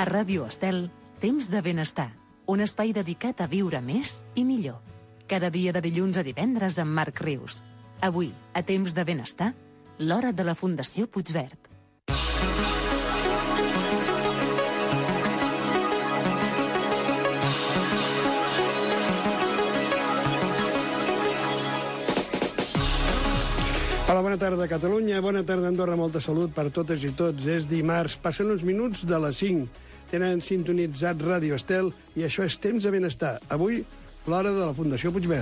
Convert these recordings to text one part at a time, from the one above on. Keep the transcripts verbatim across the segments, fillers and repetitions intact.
A Ràdio Estel, Temps de Benestar, un espai dedicat a viure més i millor. Cada dia de dilluns a divendres amb Marc Rius. Avui, a Temps de Benestar, l'hora de la Fundació Puigverd. Hola, bona tarda, Catalunya. Bona tarda, Andorra. Molta salut per totes i tots. És dimarts. Passen uns minuts de les cinc. Tenen sintonitzat Ràdio Estel i això és Temps de Benestar. Avui, l'hora de la Fundació Puigverd.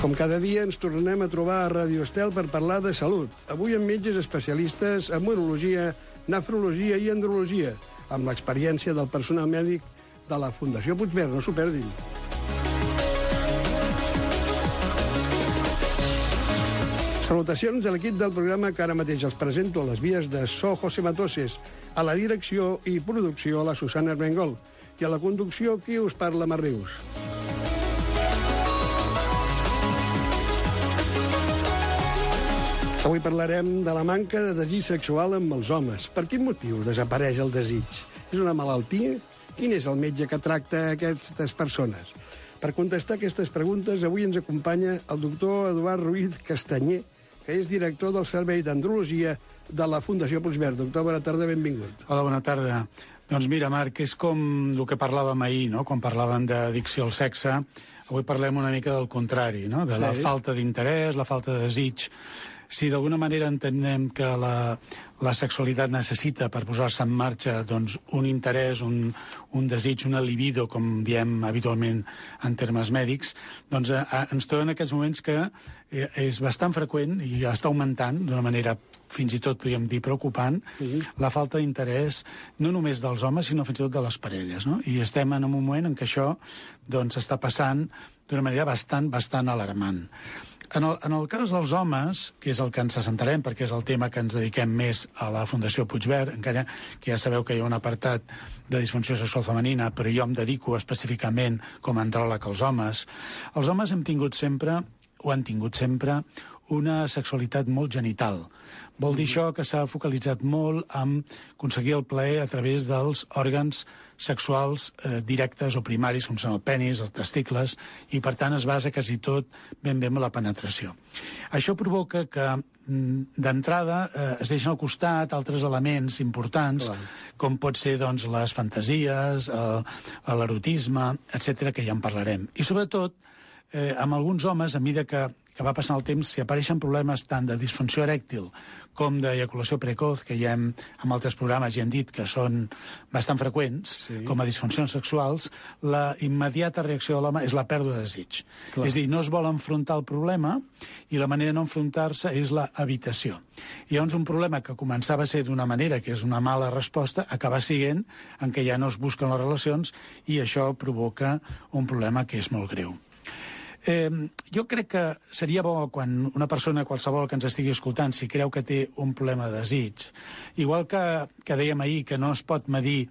Com cada dia, ens tornem a trobar a Ràdio Estel per parlar de salut. Avui amb metges especialistes en urologia, nefrologia i andrologia, amb l'experiència del personal mèdic de la Fundació Puigverd. No s'ho perdin. Salutacions a l'equip del programa que ara mateix els presento a les vies de so José Matoses, a la direcció i producció a la Susana Armengol i a la conducció qui us parla, Marc Rius. Avui parlarem de la manca de desig sexual amb els homes. Per quin motiu desapareix el desig? És una malaltia? Quin és el metge que tracta aquestes persones? Per contestar aquestes preguntes, avui ens acompanya el doctor Eduard Ruiz Castanyer, que és director del Servei d'Andrologia de la Fundació Puigverd. Doctor, bona tarda, benvingut. Hola, bona tarda. Doncs mira, Marc, és com el que parlàvem ahir, no? Quan parlàvem d'addicció al sexe. Avui parlem una mica del contrari, no? De la sí. falta d'interès, la falta de desig. Si d'alguna manera entenem que la, la sexualitat necessita per posar-se en marxa doncs, un interès, un, un desig, una libido, com diem habitualment en termes mèdics, doncs eh, ens trobem en aquests moments que eh, és bastant freqüent i està augmentant d'una manera fins i tot, podríem dir, preocupant, uh-huh. la falta d'interès no només dels homes, sinó fins i tot de les parelles. No? I estem en un moment en què això doncs, està passant d'una manera bastant, bastant alarmant. En el, en el cas dels homes, que és el que ens assentarem, perquè és el tema que ens dediquem més a la Fundació Puigverd, encara que ja sabeu que hi ha un apartat de disfunció sexual femenina, però jo em dedico específicament com a andròleg als homes. Els homes hem tingut sempre, o han tingut sempre, una sexualitat molt genital. Vol dir això que s'ha focalitzat molt en aconseguir el plaer a través dels òrgans sexuals eh, directes o primaris, com són el penis, els testicles, i per tant es basa quasi tot ben bé en la penetració. Això provoca que d'entrada eh, es deixen al costat altres elements importants, Clar. com pot ser doncs, les fantasies, l'erotisme, etcètera, que ja en parlarem. I sobretot, eh, amb alguns homes, a mesura que que va passant el temps, si apareixen problemes tant de disfunció erèctil com d'ejaculació precoç, que ja hem, en altres programes ja hem dit que són bastant freqüents, sí. com a disfuncions sexuals, la immediata reacció de l'home és la pèrdua de desig. Clar. És a dir, no es vol enfrontar el problema i la manera de no enfrontar-se és la evitació. I llavors un problema que començava a ser d'una manera, que és una mala resposta, acaba sent en què ja no es busquen les relacions i això provoca un problema que és molt greu. Eh, jo crec que seria bo quan una persona qualsevol que ens estigui escoltant, si creu que té un problema de desig, igual que, que dèiem ahir que no es pot medir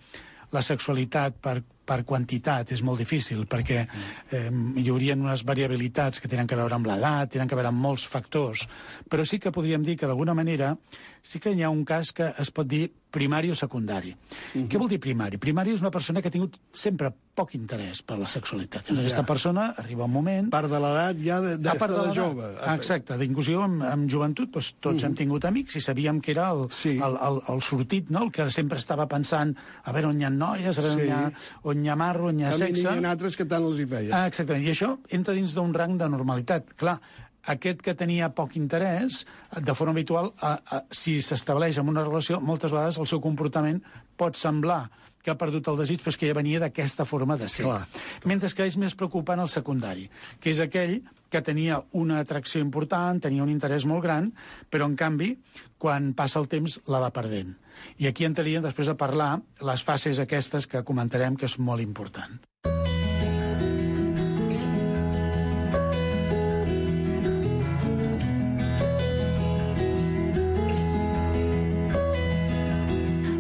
la sexualitat per, per quantitat, és molt difícil, perquè eh, hi haurien unes variabilitats que tenen a veure amb l'edat, tenen a veure amb molts factors, però sí que podríem dir que d'alguna manera sí que hi ha un cas que es pot dir primari o secundari. Uh-huh. Què vol dir primari? Primari és una persona que ha tingut sempre poc interès per la sexualitat. Ja. Aquesta persona arriba un moment... Part de l'edat ja de, de, part de, de jove. Ah, exacte. Inclusive en, en joventut doncs, tots uh-huh. hem tingut amics i sabíem que era el, sí. el, el, el sortit, no? El que sempre estava pensant a veure on hi ha noies, a veure sí. on, hi ha, on hi ha marro, on hi ha sexe... N'hi ha altres que tant els hi feia. Ah, exactament. I això entra dins d'un rang de normalitat. Clar, aquest que tenia poc interès, de forma habitual, a, a, si s'estableix en una relació, moltes vegades el seu comportament pot semblar que ha perdut el desig, però és que ja venia d'aquesta forma de ser. Clar. Mentre que és més preocupant el secundari, que és aquell que tenia una atracció important, tenia un interès molt gran, però en canvi, quan passa el temps, la va perdent. I aquí entraríem després a parlar les fases aquestes que comentarem que és molt important.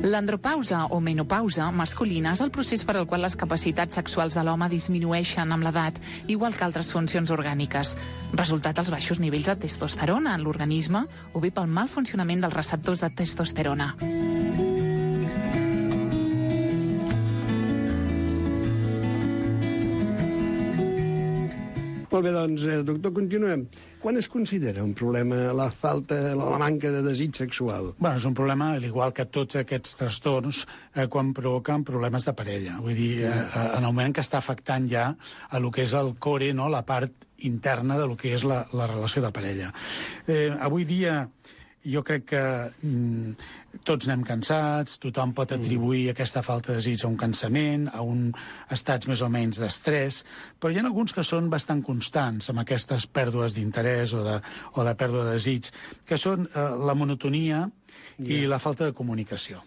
L'andropausa o menopausa masculina és el procés per al qual les capacitats sexuals de l'home disminueixen amb l'edat, igual que altres funcions orgàniques. Resultat els baixos nivells de testosterona en l'organisme o bé pel mal funcionament dels receptors de testosterona. Molt bé, doncs, eh, doctor, continuem. Quan es considera un problema la falta, la manca de desig sexual? Bueno, és un problema, al igual que tots aquests trastorns, eh, quan provoquen problemes de parella. Vull dir, eh, en el moment que està afectant ja a lo que és el core, no?, la part interna de lo que és la, la relació de parella. Eh, avui dia jo crec que mm, tots anem cansats, tothom pot atribuir aquesta falta de desig a un cansament, a un estats més o menys d'estrès, però hi ha alguns que són bastant constants amb aquestes pèrdues d'interès o, de, o de pèrdua de desig, que són eh, la monotonia i yeah. la falta de comunicació.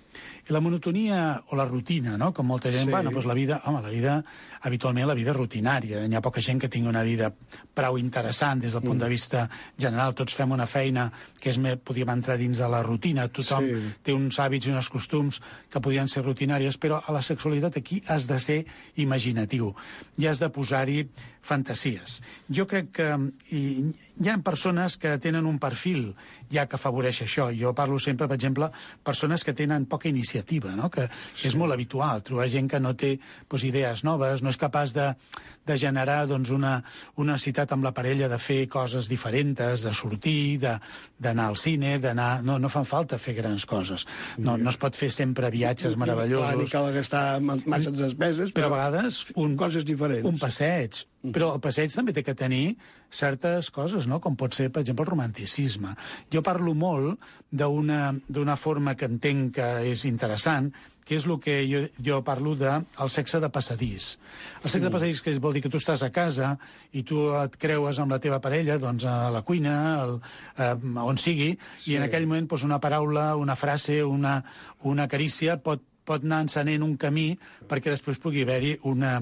I la monotonia o la rutina, no?, com molta gent, sí. bueno, doncs la vida, home, la vida, habitualment la vida rutinària, hi ha poca gent que tingui una vida prou interessant des del punt mm. de vista general, tots fem una feina que és, podríem entrar dins de la rutina, tothom sí. té uns hàbits i uns costums que podrien ser rutinàries, però a la sexualitat aquí has de ser imaginatiu, i has de posar-hi fantasies. Jo crec que hi, hi ha persones que tenen un perfil ja que afavoreix això. Jo parlo sempre, per exemple, persones que tenen poca iniciativa, no?, que sí. és molt habitual trobar gent que no té doncs, idees noves, no és capaç de, de generar doncs, una, una necessitat amb la parella de fer coses diferents, de sortir, d'anar al cine, d'anar... No, no fan falta fer grans coses. No, no es pot fer sempre viatges meravellosos. Clar, ni cal gastar massa despeses, però, però a vegades un, coses diferents. Un passeig. Però el passeig també té que tenir certes coses, no?, com pot ser, per exemple, el romanticisme. Jo parlo molt d'una forma que entenc que és interessant, que és el que jo, jo parlo del de sexe de passadís. El sexe mm. de passadís que vol dir que tu estàs a casa i tu et creues amb la teva parella doncs, a la cuina, al, eh, on sigui, sí. i en aquell moment doncs, una paraula, una frase, una, una carícia pot, pot anar encenent un camí perquè després pugui haver-hi una...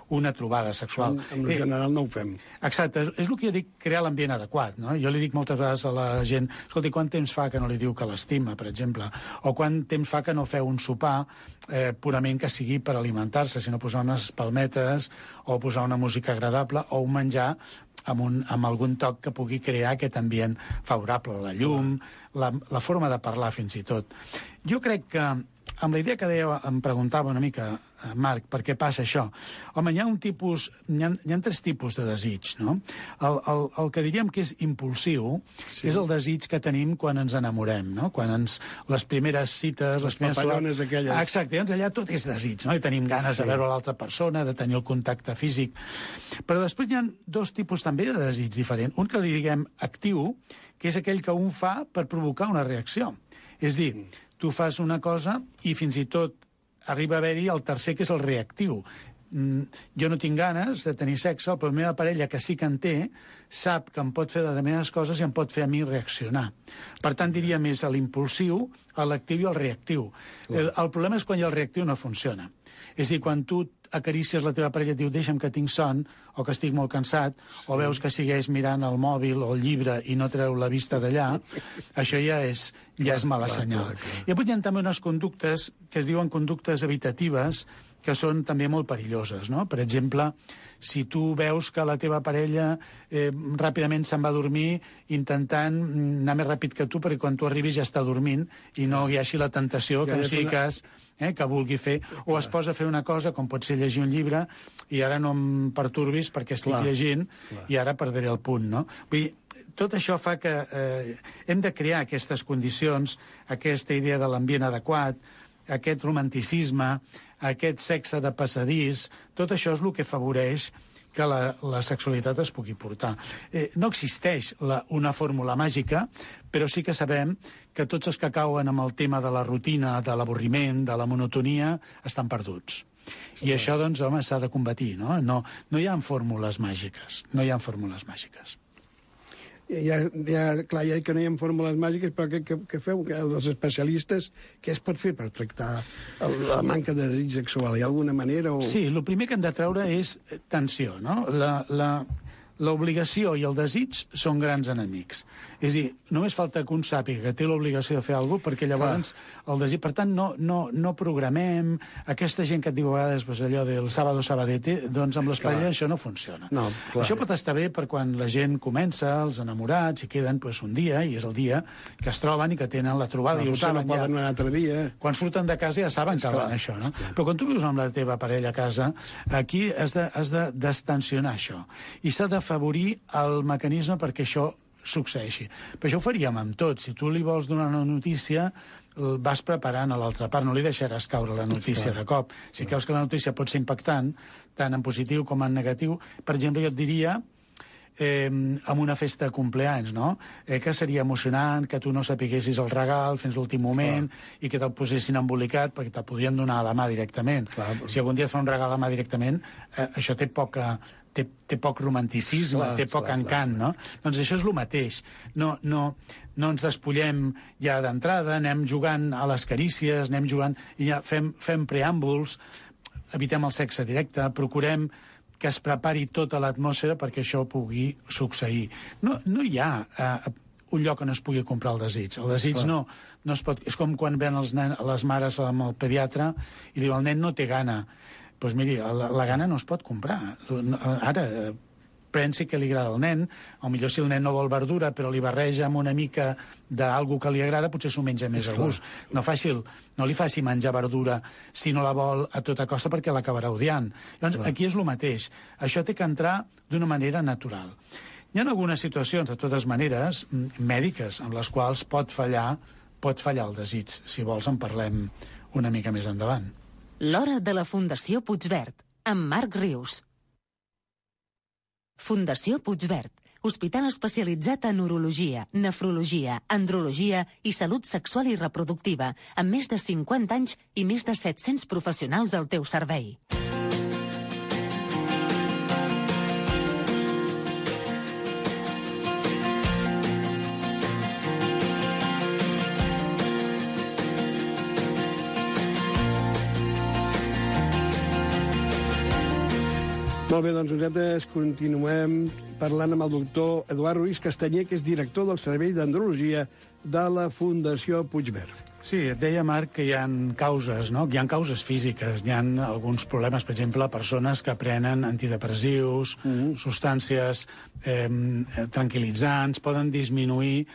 una trobada sexual. En, en general no ho fem. Exacte, és, és el que jo dic, crear l'ambient adequat, no? Jo li dic moltes vegades a la gent, escolti, quant temps fa que no li diu que l'estima, per exemple? O quant temps fa que no feu un sopar eh, purament que sigui per alimentar-se, sinó posar unes palmetes o posar una música agradable o un menjar amb, un, amb algun toc que pugui crear aquest ambient favorable, la llum, la, la forma de parlar fins i tot. Jo crec que amb la idea que deia, em preguntava una mica, Marc, per què passa això? Home, hi ha un tipus, hi ha, hi ha tres tipus de desig, no? El, el, el que diríem que és impulsiu, sí. és el desig que tenim quan ens enamorem, no? Quan ens, les primeres cites... Les, les papallones aquelles. Ah, exacte, doncs allà tot és desig, no? I tenim ganes sí. de veure l'altra persona, de tenir el contacte físic. Però després hi ha dos tipus també de desig diferents. Un que li diguem actiu, que és aquell que un fa per provocar una reacció. És dir, tu fas una cosa i fins i tot arriba a haver-hi el tercer, que és el reactiu. Mm, jo no tinc ganes de tenir sexe, però la meva parella, que sí que en té, sap que em pot fer determinades coses i em pot fer a mi reaccionar. Per tant, diria més a l'impulsiu, a l'actiu i al reactiu. El, el problema és quan el reactiu no funciona. És a dir, quan tu acarícies la teva parella i et diu deixa'm que tinc son, o que estic molt cansat, sí. o veus que segueix mirant el mòbil o el llibre i no treu la vista d'allà, això ja és, ja és mala senyal. I avui hi ha també unes conductes que es diuen conductes evitatives que són també molt perilloses, no? Per exemple, si tu veus que la teva parella eh, ràpidament se'n va a dormir intentant anar més ràpid que tu perquè quan tu arribis ja està dormint i no hi hagi la tentació que no sigui cas... Eh, que vulgui fer, o es posa a fer una cosa com pot ser llegir un llibre i ara no em pertorbis perquè estic clar, llegint clar. I ara perdré el punt, no? Vull dir, tot això fa que eh, hem de crear aquestes condicions, aquesta idea de l'ambient adequat, aquest romanticisme, aquest sexe de passadís, tot això és el que afavoreix que la, la sexualitat es pugui portar. Eh, no existeix la, una fórmula màgica, però sí que sabem que tots els que cauen amb el tema de la rutina, de l'avorriment, de la monotonia, estan perduts. I això, doncs, home, s'ha de combatir, no? No, no hi ha fórmules màgiques, no hi ha fórmules màgiques. Ja, ja, clar, ja que no hi ha fórmules màgiques, però què, què, què feu, els especialistes, què es pot fer per tractar el, la manca de desig sexual? Hi ha alguna manera? O... Sí, el primer que hem de treure és tensió, no? La, la, l'obligació i el desig són grans enemics. És a dir, només falta que un sàpiga que té l'obligació de fer alguna cosa, perquè llavors clar. El desig... Per tant, no, no, no programem aquesta gent que et diu a vegades pues, allò del sábado sabadete, doncs amb les parelles això no funciona. No, això pot estar bé per quan la gent comença, els enamorats, i queden pues, un dia, i és el dia que es troben i que tenen la trobada, no, i ho saben no poden ja. Un altre dia. Quan surten de casa ja saben que van això, no? Clar. Però quan tu vius amb la teva parella a casa, aquí has de, has de destensionar això. I s'ha de d'afavorir el mecanisme perquè això succeeixi. Però això ho faríem amb tot. Si tu li vols donar una notícia, el vas preparant a l'altra part, no li deixaràs caure la notícia de cop. Si creus que la notícia pot ser impactant, tant en positiu com en negatiu, per exemple, jo et diria eh, amb una festa de compleanys, no? Eh, que seria emocionant que tu no sapiguessis el regal fins l'últim moment Clar. I que te'l posessin embolicat perquè te'l podrien donar a la mà directament. Clar. Si algun dia et fa un regal a la mà directament, eh, això té poca... Té, té poc romanticisme, clar, té poc clar, encant, clar. No? Doncs això és el mateix. No, no, no ens despullem ja d'entrada, anem jugant a les carícies, anem jugant... I ja fem, fem preàmbuls, evitem el sexe directe, procurem que es prepari tota l'atmosfera perquè això pugui succeir. No, no hi ha eh, un lloc on es pugui comprar el desig. El desig no, no es pot... És com quan ven els nen, les mares amb el pediatre i diu el nen no té gana. Doncs pues miri, la, la gana no es pot comprar. Ara, pensi que li agrada al nen, o millor si el nen no vol verdura, però li barreja amb una mica d'algú que li agrada, potser s'ho menja més a gust. No, faci, no li faci menjar verdura si no la vol a tota costa perquè l'acabarà odiant. Llavors, Clar. Aquí és el mateix. Això té que entrar d'una manera natural. Hi ha algunes situacions, de totes maneres, mèdiques, amb les quals pot fallar, pot fallar el desig. Si vols, en parlem una mica més endavant. L'hora de la Fundació Puigverd, amb Marc Rius. Fundació Puigverd, hospital especialitzat en urologia, nefrologia, andrologia i salut sexual i reproductiva, amb més de cinquanta anys i més de set-cents professionals al teu servei. Molt bé, doncs nosaltres continuem parlant amb el doctor Eduard Ruiz Castanyer, que és director del Servei d'Andrologia de la Fundació Puigverd. Sí, et deia, Marc, que hi ha causes, no? Hi ha causes físiques, hi ha alguns problemes, per exemple, persones que prenen antidepressius, mm-hmm. substàncies eh, tranquil·litzants, poden disminuir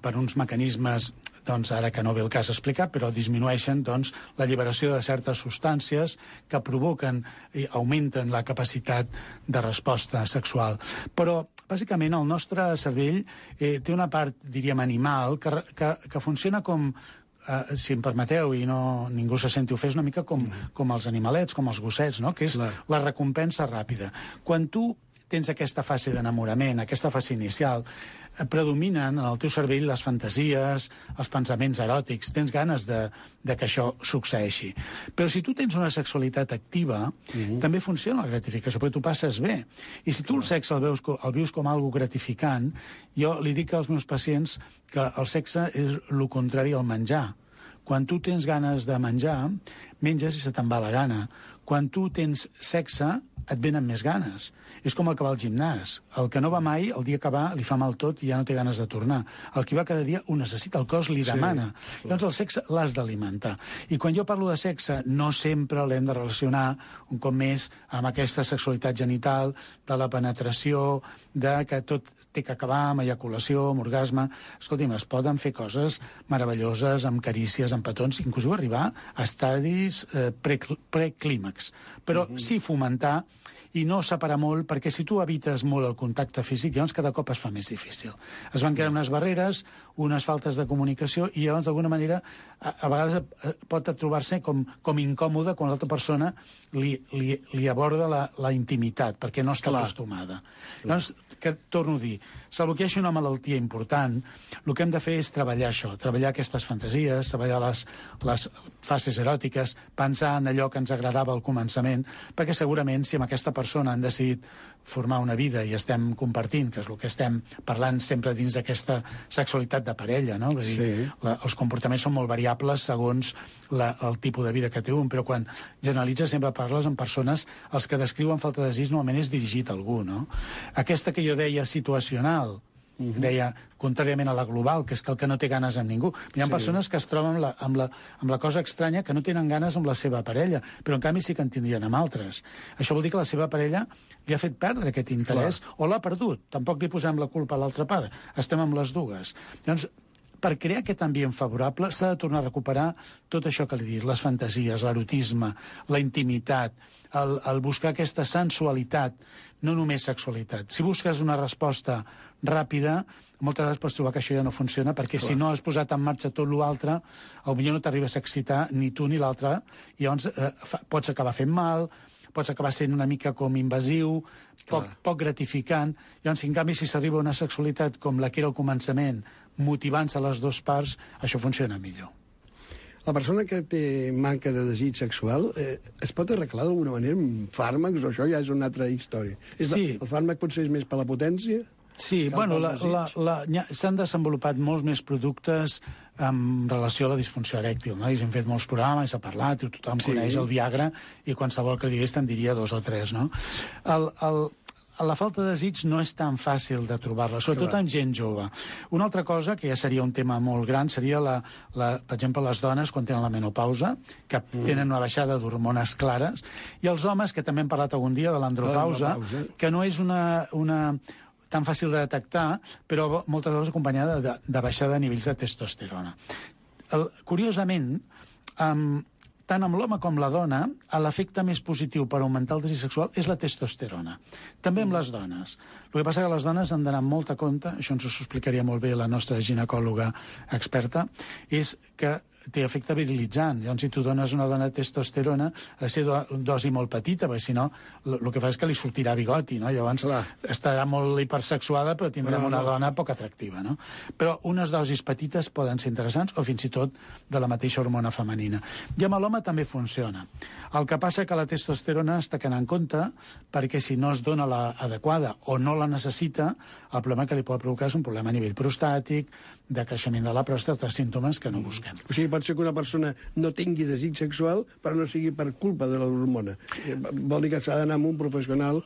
per uns mecanismes, doncs, ara que no ve el cas explicar, però disminueixen doncs, l'alliberació de certes substàncies que provoquen i augmenten la capacitat de resposta sexual. Però, bàsicament, el nostre cervell eh, té una part, diríem, animal, que, que, que funciona com, eh, si em permeteu, i no ningú se senti ofès, una mica com, com els animalets, com els gossets, no? Que és Clar. La recompensa ràpida. Quan tu tens aquesta fase d'enamorament, aquesta fase inicial, predominen en el teu cervell les fantasies, els pensaments eròtics, tens ganes de, de que això succeeixi. Però si tu tens una sexualitat activa, uh-huh. també funciona la gratificació, perquè tu passes bé. I si tu el sexe el veus, el vius com algo gratificant, jo li dic als meus pacients que el sexe és el contrari al menjar. Quan tu tens ganes de menjar, menges i se te'n va la gana. Quan tu tens sexe, et venen més ganes. És com el que va al gimnàs. El que no va mai, el dia que va, li fa mal tot i ja no té ganes de tornar. El que va cada dia ho necessita, el cos li demana. Sí, Llavors el sexe l'has d'alimentar. I quan jo parlo de sexe, no sempre l'hem de relacionar un cop més amb aquesta sexualitat genital, de la penetració, de que tot té que acabar amb eyaculació, amb orgasme. Escolti'm, es poden fer coses meravelloses, amb carícies, amb petons, inclús arribar a estadis eh, preclímax. Però uh-huh. sí fomentar i no separar molt, perquè si tu evites molt el contacte físic, llavors cada cop es fa més difícil. Es van crear unes barreres, unes faltes de comunicació, i llavors d'alguna manera a, a vegades pot trobar-se com, com incòmode quan l'altra persona li, li, li aborda la, la intimitat, perquè no està Clar. Acostumada. Llavors, que torno a dir, salvo que hi hagi una malaltia important, el que hem de fer és treballar això, treballar aquestes fantasies, treballar les, les fases eròtiques, pensar en allò que ens agradava al començament, perquè segurament si amb aquesta persona han decidit formar una vida i estem compartint, que és el que estem parlant sempre dins d'aquesta sexualitat de parella, no? Vull dir, sí. la, els comportaments són molt variables segons la, el tipus de vida que té un, però quan generalitzes sempre parles amb persones, els que descriuen falta de desig normalment és dirigit a algú, no? Aquesta que jo deia situacional, Uh-huh. deia, contràriament a la global, que és que el que no té ganes amb ningú. Hi ha sí. persones que es troben amb la, amb, la, amb la cosa estranya que no tenen ganes amb la seva parella, però en canvi sí que en tindrien amb altres. Això vol dir que la seva parella li ha fet perdre aquest interès Clar. O l'ha perdut. Tampoc li posem la culpa a l'altra part. Estem amb les dues. Llavors, per crear aquest ambient favorable s'ha de tornar a recuperar tot això que li he dit, les fantasies, l'erotisme, la intimitat, el, el buscar aquesta sensualitat, no només sexualitat. Si busques una resposta ràpida, moltes vegades pots trobar que això ja no funciona, perquè Clar. si no has posat en marxa tot l'altre, potser no t'arribes a excitar ni tu ni l'altre, i llavors eh, fa, pots acabar fent mal, pots acabar sent una mica com invasiu, poc, poc gratificant. Llavors, en canvi, si s'arriba a una sexualitat com la que era al començament, motivant-se a les dues parts, això funciona millor. La persona que té manca de desig sexual eh, es pot arreglar d'alguna manera amb fàrmacs, o això ja és una altra història? És Sí. El fàrmac potser és més per la potència? Sí, Cal bueno, pel la, desig? la, la, nya- s'han desenvolupat molts més productes en relació a la disfunció erèctil, no? I s'han fet molts programes, s'ha parlat, i tothom Sí. coneix el Viagra, i qualsevol que digués te'n diria dos o tres, no? El, el, la falta de desig no és tan fàcil de trobar-la, sobretot Clar. en gent jove. Una altra cosa, que ja seria un tema molt gran, seria, la, la, per exemple, les dones quan tenen la menopausa, que mm. tenen una baixada d'hormones clares, i els homes, que també hem parlat algun dia de l'andropausa, L'andropausa. que no és una, una tan fàcil de detectar, però moltes vegades acompanyada de, de baixada de nivells de testosterona. El, curiosament, um, tant amb l'home com la dona, l'efecte més positiu per augmentar el desig sexual és la testosterona. També amb les dones. El que passa que les dones han d'anar amb molta compte, això ens ho explicaria molt bé la nostra ginecòloga experta, és que té efecte virilitzant. Llavors, si tu dones una dona testosterona, ha de ser do, dosi molt petita, perquè si no, el que fa és que li sortirà bigoti, no? Llavors, Clar. estarà molt hipersexuada, però tindrem No, no. una dona poc atractiva, no? Però unes dosis petites poden ser interessants, o fins i tot de la mateixa hormona femenina. I amb l'home també funciona. El que passa que la testosterona està quedant en compte, perquè si no es dona la adequada o no la necessita, el problema que li pot provocar és un problema a nivell prostàtic, de creixement de la pròstata, símptomes que no busquem. O sigui, pot ser que una persona no tingui desig sexual, però no sigui per culpa de l'hormona. Eh, Vol dir que s'ha d'anar amb un professional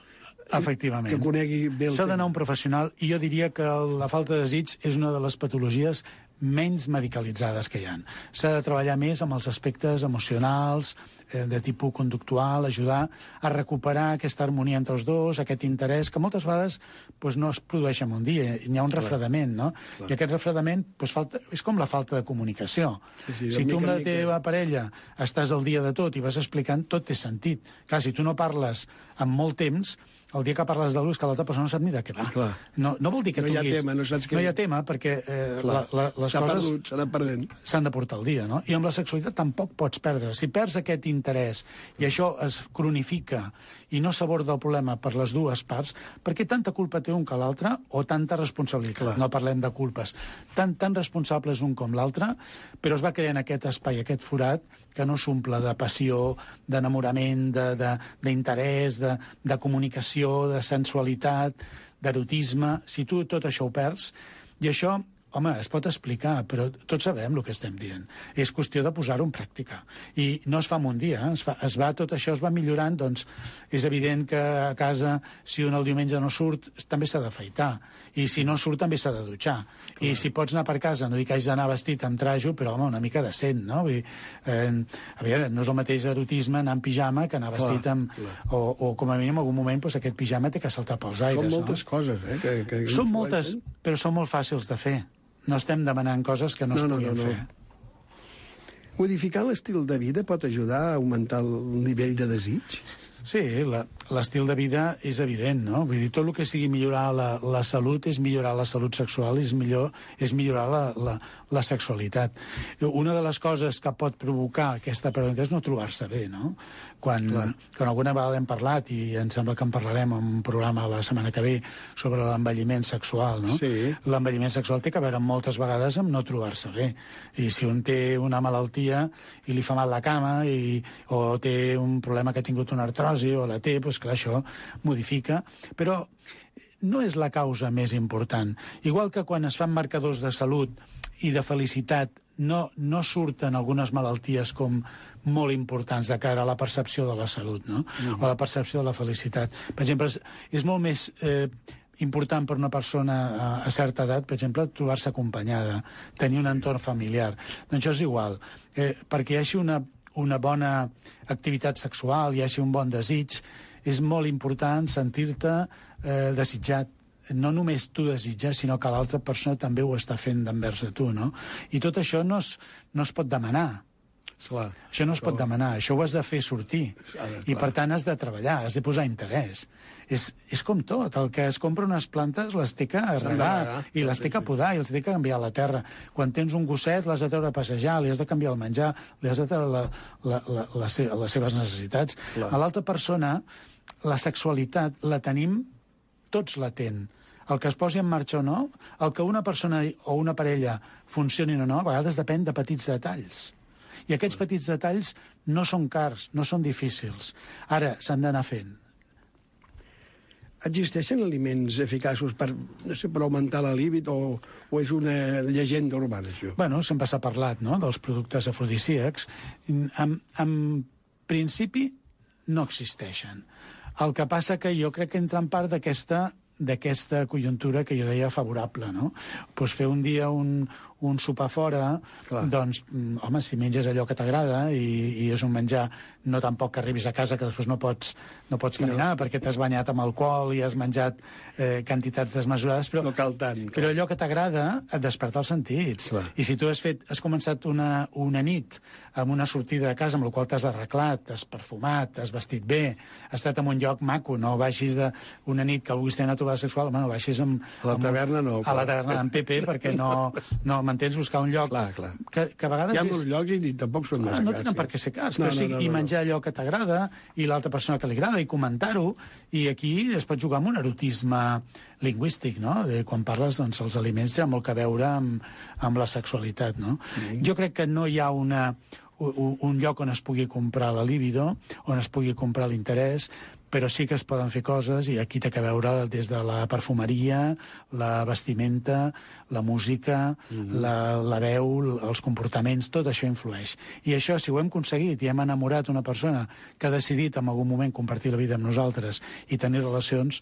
Efectivament. que conegui bé el S'ha d'anar a tema. un professional, i jo diria que la falta de desig és una de les patologies menys medicalitzades que hi ha. S'ha de treballar més amb els aspectes emocionals, eh, de tipus conductual, ajudar a recuperar aquesta harmonia entre els dos, aquest interès, que moltes vegades pues, no es produeix en un dia, hi ha un refredament, no? Clar. I aquest refredament pues, falta, és com la falta de comunicació. Sí, sí, de si tu amb mica la en mica. teva parella estàs al dia de tot i vas explicant, tot té sentit. Clar, si tu no parles en molt temps, el dia que parles d'algú és que l'altra persona no sap ni de què va. Clar. No, no vol dir que No hi ha tinguis... tema, no saps què- No hi ha tema, perquè eh, la, la, les S'ha coses perdut, s'ha anat perdent. s'han de portar al dia, no? I amb la sexualitat tampoc pots perdre. Si perds aquest interès i això es cronifica i no s'aborda el problema per les dues parts, perquè tanta culpa té un que l'altre o tanta responsabilitat? Clar. No parlem de culpes. Tan, tan responsables un com l'altre, però es va creant aquest espai, aquest forat, que no s'omple de passió, d'enamorament, de- de- d'interès, de, de comunicació, de sensualitat, d'erotisme. Si tu tot això ho perds, i això, home, es pot explicar, però tots sabem el que estem dient. És qüestió de posar-ho en pràctica. I no es fa en un dia, eh? es, fa, es va, tot això es va millorant, doncs és evident que a casa, si un el diumenge no surt, també s'ha d'afaitar. I si no surt, també s'ha de dutxar. Clar. I si pots anar per casa, no dic que hagis d'anar vestit amb trajo, però, home, una mica decent, no? Vull dir, eh, a veure, no és el mateix erotisme anar en pijama que anar vestit Clar, amb... clar. O, o, com a mínim, en algun moment, doncs, aquest pijama té que saltar pels aires, Són moltes no? coses, eh? Que, que Són influeixen. moltes, però són molt fàcils de fer. No estem demanant coses que no, No, es no, puguin no, no. fer. Modificar l'estil de vida pot ajudar a augmentar el nivell de desig? Sí, la- l'estil de vida és evident, no? Vull dir, tot el que sigui millorar la, la salut és millorar la salut sexual, és, millor, és millorar la, la, la sexualitat. Una de les coses que pot provocar aquesta pregunta és no trobar-se bé, no? Quan, quan alguna vegada hem parlat, i em sembla que en parlarem en un programa la setmana que ve, sobre l'envelliment sexual, no? Sí. L'envelliment sexual té que veure moltes vegades amb no trobar-se bé. I si un té una malaltia i li fa mal la cama, i, o té un problema que ha tingut una artrosi, o la té, doncs clar, això modifica. Però no és la causa més important. Igual que quan es fan marcadors de salut i de felicitat, no, no surten algunes malalties com molt importants de cara a la percepció de la salut, no? Mm-hmm. O la percepció de la felicitat. Per exemple, és, és molt més eh, important per una persona a, a certa edat, per exemple, trobar-se acompanyada, tenir un entorn familiar. Doncs això és igual. Eh, perquè hi hagi una, una bona activitat sexual, hi hagi un bon desig, és molt important sentir-te eh, desitjat, no només tu desitges, sinó que l'altra persona també ho està fent d'envers de tu, no? I tot això no es, no es pot demanar. Clar, això no es pot demanar, això ho has de fer sortir. I, per tant, has de treballar, has de posar interès. És, és com tot, el que es compra unes plantes les té que regar, i les té que podar, i els té que canviar la terra. Quan tens un gosset, l'has de treure a passejar, li has de canviar el menjar, li has de treure la, la, la, la, les seves necessitats. Clar. A l'altra persona, la sexualitat la tenim, tots la tenen. El que es posi en marxa o no, el que una persona o una parella funcionin o no, a vegades depèn de petits detalls. I aquests petits detalls no són cars, no són difícils. Ara, s'han d'anar fent. Existeixen aliments eficaços per, no sé, per augmentar la líbid o, o és una llegenda urbana, això? Bueno, sempre s'ha parlat, no?, dels productes afrodisíacs. En, en principi, no existeixen. El que passa que jo crec que entra en part d'aquesta d'aquesta conjuntura que jo deia favorable, no? Pues fer un dia un, un sopar fora, clar, doncs, home, si menges allò que t'agrada i, i és un menjar, no tampoc que arribis a casa que després no pots, no pots caminar, no, perquè t'has banyat amb alcohol i has menjat eh, quantitats desmesurades, però, no cal tant, però allò que t'agrada et desperta els sentits. Clar. I si tu has, fet, has començat una, una nit amb una sortida de casa amb la qual t'has arreglat, t'has perfumat, t'has vestit bé, has estat en un lloc maco, no baixis d'una nit que vulguis tenir una trobada sexual, home, no baixis amb... A la taverna no. A la taverna d'en Pepe, perquè no, no m'entens, buscar un lloc... Clar, clar. Que, que a vegades... Hi ha molts llocs i tampoc són massa cars. No tenen sí. per què ser cars, no, però sí, no, no, no, i menjar allò que t'agrada i l'altra persona que li agrada i comentar-ho, i aquí es pot jugar amb un erotisme lingüístic, no? De, quan parles, doncs, els aliments tenen molt que veure amb, amb la sexualitat, no? Mm. Jo crec que no hi ha una, un, un lloc on es pugui comprar la libido, on es pugui comprar l'interès, però sí que es poden fer coses, i aquí té que veure des de la perfumeria, la vestimenta, la música, mm-hmm. la, la veu, els comportaments, tot això influeix. I això, si ho hem aconseguit i hem enamorat una persona que ha decidit en algun moment compartir la vida amb nosaltres i tenir relacions,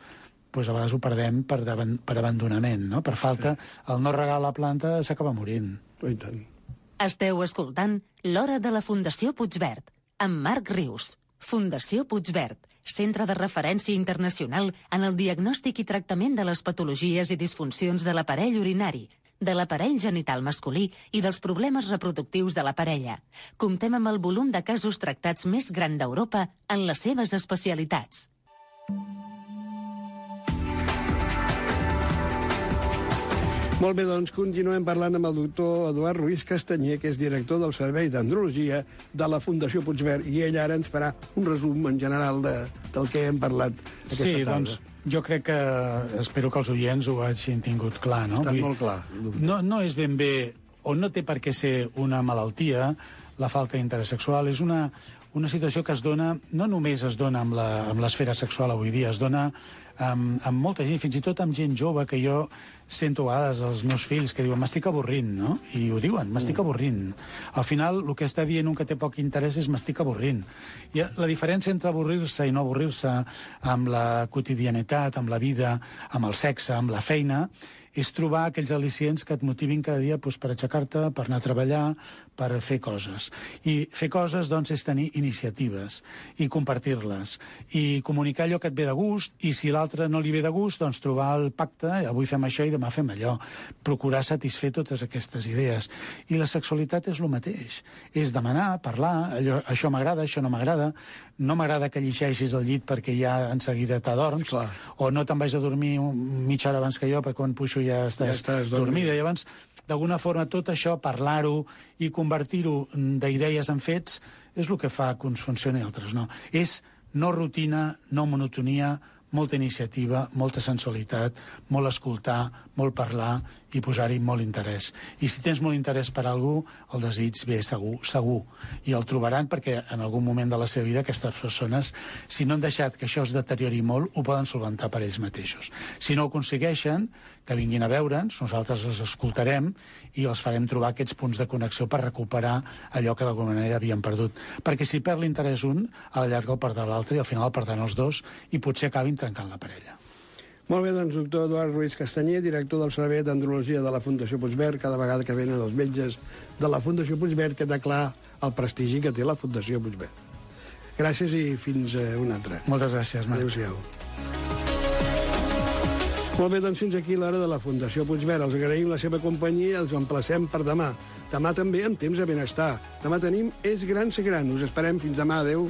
doncs a vegades ho perdem per, per abandonament, no? Per falta, el no regar la planta s'acaba morint. I tant. Esteu escoltant L'Hora de la Fundació Puigverd, amb Marc Rius. Fundació Puigverd, centre de referència internacional en el diagnòstic i tractament de les patologies i disfuncions de l'aparell urinari, de l'aparell genital masculí i dels problemes reproductius de la parella. Comptem amb el volum de casos tractats més gran d'Europa en les seves especialitats. Molt bé, doncs continuem parlant amb el doctor Eduard Ruiz Castanyer, que és director del Servei d'Andrologia de la Fundació Puigverd, i ell ara ens farà un resum en general de, del que hem parlat aquesta sí, tarda. Doncs, jo crec que, espero que els oients ho hagin tingut clar, no? Està Vull, molt clar. No, no és ben bé, o no té per què ser una malaltia, la falta d'interès sexual, és una, una situació que es dona, no només es dona amb la, amb l'esfera sexual avui dia, es dona amb, amb molta gent, fins i tot amb gent jove, que jo sento a vegades els meus fills que diuen m'estic avorrint, no? I ho diuen, m'estic mm. avorrint. Al final, el que està dient un que té poc interès és m'estic avorrint. I la diferència entre avorrir-se i no avorrir-se amb la quotidianitat, amb la vida, amb el sexe, amb la feina, és trobar aquells al·licients que et motivin cada dia doncs, per aixecar-te, per anar a treballar, per fer coses. I fer coses, doncs, és tenir iniciatives i compartir-les. I comunicar allò que et ve de gust, i si l'altre no li ve de gust, doncs trobar el pacte, avui fem això i demà fem allò. Procurar satisfer totes aquestes idees. I la sexualitat és el mateix. És demanar, parlar, allò, això m'agrada, això no m'agrada, no m'agrada que llegeixis al llit perquè ja en seguida t'adorms, o no te'n vaig a dormir mitja hora abans que jo perquè quan puixo ja estàs, ja estàs dormida. I llavors, d'alguna forma, tot això, parlar-ho i convertir-ho d'idees en fets, és el que fa que uns funcioni i altres no. És no rutina, no monotonia, molta iniciativa, molta sensualitat, molt escoltar, molt parlar i posar-hi molt interès. I si tens molt interès per a algú, el desig ve segur, segur. I el trobaran perquè en algun moment de la seva vida aquestes persones, si no han deixat que això es deteriori molt, ho poden solventar per ells mateixos. Si no ho aconsegueixen, que vinguin a veure'ns, nosaltres els escoltarem i els farem trobar aquests punts de connexió per recuperar allò que d'alguna manera havien perdut. Perquè si perd l'interès un, a la llarga el perdrà l'altre i al final el perdran els dos i potser acabin trencant la parella. Molt bé, doncs, doctor Eduard Ruiz Castanyer, director del Servei d'Andrologia de la Fundació Puigverd, cada vegada que venen els metges de la Fundació Puigverd, queda clar el prestigi que té la Fundació Puigverd. Gràcies i fins una altra. Moltes gràcies, Marc. Adéu-siau. Molt bé, doncs fins aquí l'hora de la Fundació Puigverd. Els agraïm la seva companyia i els emplacem per demà. Demà també amb Temps de Benestar. Demà tenim És gran ser gran. Us esperem fins demà. Adéu.